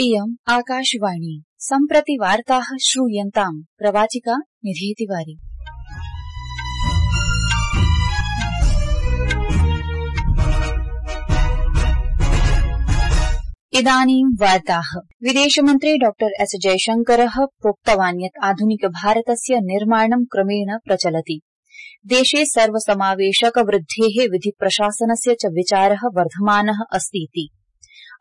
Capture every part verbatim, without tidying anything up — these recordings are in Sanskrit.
इयम् आकाशवाणी सम्प्रति वार्ताः श्रूयन्ताम् प्रवाचिका निधि तिवारी। इदानीं वार्ताः। विदेशमन्त्री डॉक्टर एस जयशंकरः प्रोक्तवान् यत् आधुनिक भारतस्य निर्माणं क्रमेण प्रचलति। देशे सर्वसमावेशक वृद्धेः विधिप्रशासनस्य च विचारः वर्धमानः अस्तीति।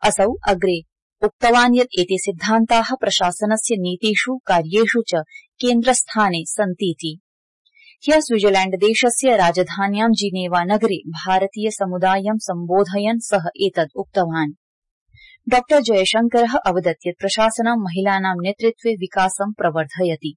असौ अग्रे उक्तवान् यत् एते सिद्धान्ताः प्रशासनस्य नीतिषु कार्येषु च केन्द्रस्थाने सन्तीति। ह्यः स्विट्जरलैण्डदेशस्य राजधान्यां जिनेवा नगरे भारतीय समुदायं सम्बोधयन् सः एतद् उक्तवान्। डॉक्टर जयशंकरः अवदत् यत् प्रशासनं महिलानां नेतृत्वे विकासं प्रवर्धयति,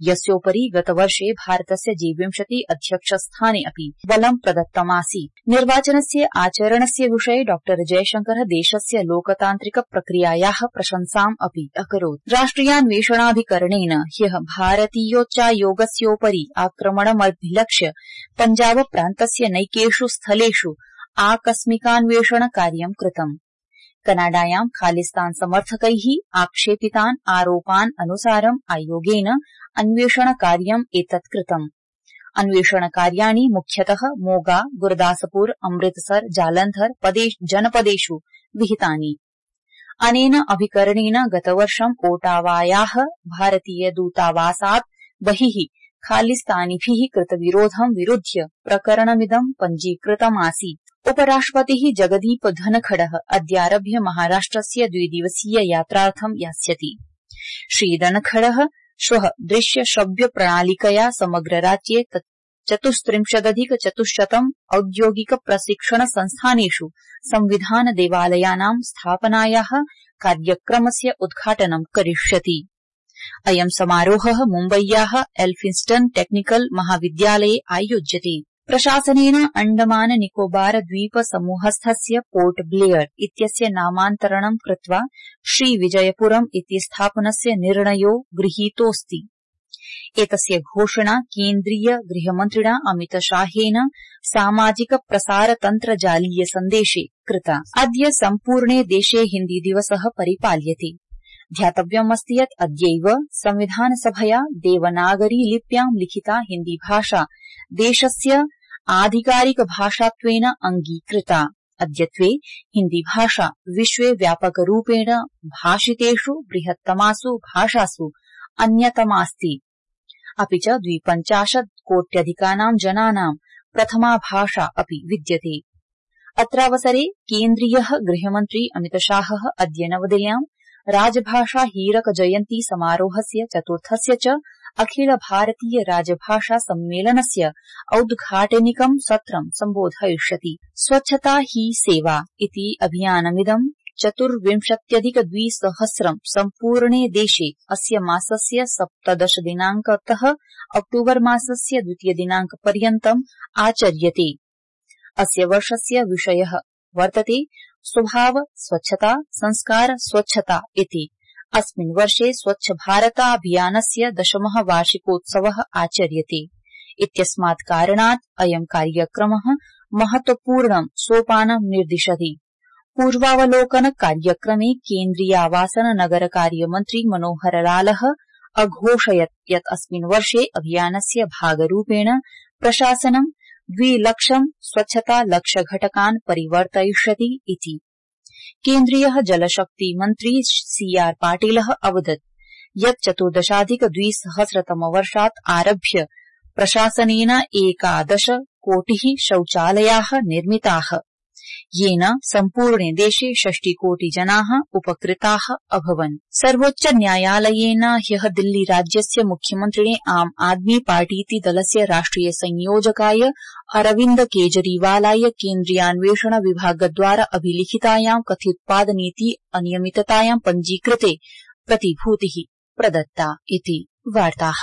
यस्योपरि गतवर्षे भारतस्य जी विंशति अध्यक्षस्थाने अपि बलं प्रदत्तमासीत्। निर्वाचनस्य आचरणस्य विषये डॉक्टर जयशंकरः देशस्य लोकतान्त्रिक प्रक्रियायाः प्रशंसाम् अपि अकरोत्। राष्ट्रियान्वेषणाभिकरणेन ह्यः भारतीयोच्चायोगस्योपरि आक्रमणमभिलक्ष्य पञ्जाब प्रान्तस्य नैकेषु स्थलेषु आकस्मिकान्वेषण कार्यं कृतम्। कनाडायां खालिस्तान समर्थकैः आक्षेपितान् आरोपान् अनुसारम् आयोगेन अन्वेषणकार्यम् एतत् कृतम्। अन्वेषणकार्याणि मुख्यतः मोगा, गुरदासपुर, अमृतसर, जालन्धर जनपदेषु विहितानि। अनेन अभिकरणेन गतवर्षम् ओटावायाः भारतीय दूतावासात् बहिः खालिस्तानिभिः कृतविरोधं विरुध्य प्रकरणमिदं पञ्जीकृतमासीत्। उपराष्ट्रपतिः जगदीप धनखडः अद्यारभ्य महाराष्ट्रस्य द्विदिवसीय यात्रार्थं यास्यति। श्रीधनखडः श्वः दृश्य श्रव्य प्रणालिकया समग्र राज्ये चतुस्त्रिंशदधिक चतुश्शतम् औद्योगिक प्रशिक्षण संस्थानेषु संविधान देवालयानां स्थापनायाः कार्यक्रमस्य उद्घाटनं करिष्यति। अयं समारोहः मुम्बय्याः एल्फिन्स्टन टेक्निकल महाविद्यालये आयोज्यते। प्रशासनेन अण्डमान निकोबार द्वीप समूहस्थस्य पोर्ट ब्लेयर इत्यस्य नामान्तरणं कृत्वा श्रीविजयपुरम् इति स्थापनस्य निर्णयो गृहीतोऽस्ति। एतस्य घोषणा केन्द्रीय गृहमन्त्रिणा अमितशाहेन सामाजिक प्रसारतन्त्र जालीय सन्देशे कृता। अद्य सम्पूर्णे देशे हिन्दी दिवसः परिपाल्यते। ध्यातव्यमस्ति यत् अद्यैव संविधानसभया देवनागरी लिप्यां लिखिता हिन्दी भाषा देशस्य आधिकारिक भाषात्वेन अंगीकृता। अद्यत्वे हिन्दी भाषा विश्वे व्यापकरूपेण भाषितेषु बृहत्तमासु भाषासु अन्यतमास्ति। अपि च द्विपञ्चाशत् कोट्यधिकानां जनानां प्रथमा भाषा अपि विद्यते। अत्रावसरे केन्द्रीयः गृहमन्त्री अमितशाहः अद्य नवदिल्ल्यां राजभाषा हीरक जयन्ती समारोहस्य चतुर्थस्य च अखिल भारतीय राजभाषा सम्मेलनस्य औद्घाटनिकं सत्रं सम्बोधयिष्यति। स्वच्छता ही सेवा इति अभियानमिदं चतुर्विंशत्यधिक द्विसहस्रं सम्पूर्णे देशे अस्य मासस्य सप्तदश दिनाङ्कतः अक्टूबर मासस्य द्वितीय दिनाङ्कपर्यन्तम् आचर्यते। अस्य वर्षस्य विषयः वर्तते स्वभाव स्वच्छता संस्कार स्वच्छता इति। अस्मिन् वर्षे स्वच्छ भारताभियानस्य दशमः वार्षिकोत्सवः आचर्यते। इत्यस्मात् कारणात् अयं कार्यक्रमः महत्वपूर्णं सोपानं निर्दिशति। पूर्वावलोकन कार्यक्रमे केन्द्रीयावासन नगर कार्यमन्त्री मनोहर लालः अघोषयत् यत् अस्मिन् वर्षे अभियानस्य भागरूपेण प्रशासनं द्विलक्षं स्वच्छता लक्ष्यघटकान् परिवर्तयिष्यति इति। केन्द्रीयः जलशक्ति मन्त्री सी आर पाटिलः अवदत् यत् चतुर्दशाधिक द्विसहस्रतमवर्षात् आरभ्य प्रशासनेन एकादश कोटिः शौचालयाः निर्मिताः, येन सम्पूर्णे देशे षष्टिकोटिजनाः उपकृताः अभवन्। सर्वोच्च न्यायालयेन ह्यः दिल्ली राज्यस्य मुख्यमन्त्रिणे आम आदमी पार्टीति दलस्य राष्ट्रिय संयोजकाय अरविन्द केजरीवालाय केन्द्रीयान्वेषण विभागद्वारा अभिलिखितायां कथितोत्पादनीति अनियमिततायां पञ्जीकृते प्रतिभूतिः प्रदत्ता इति वार्ताः।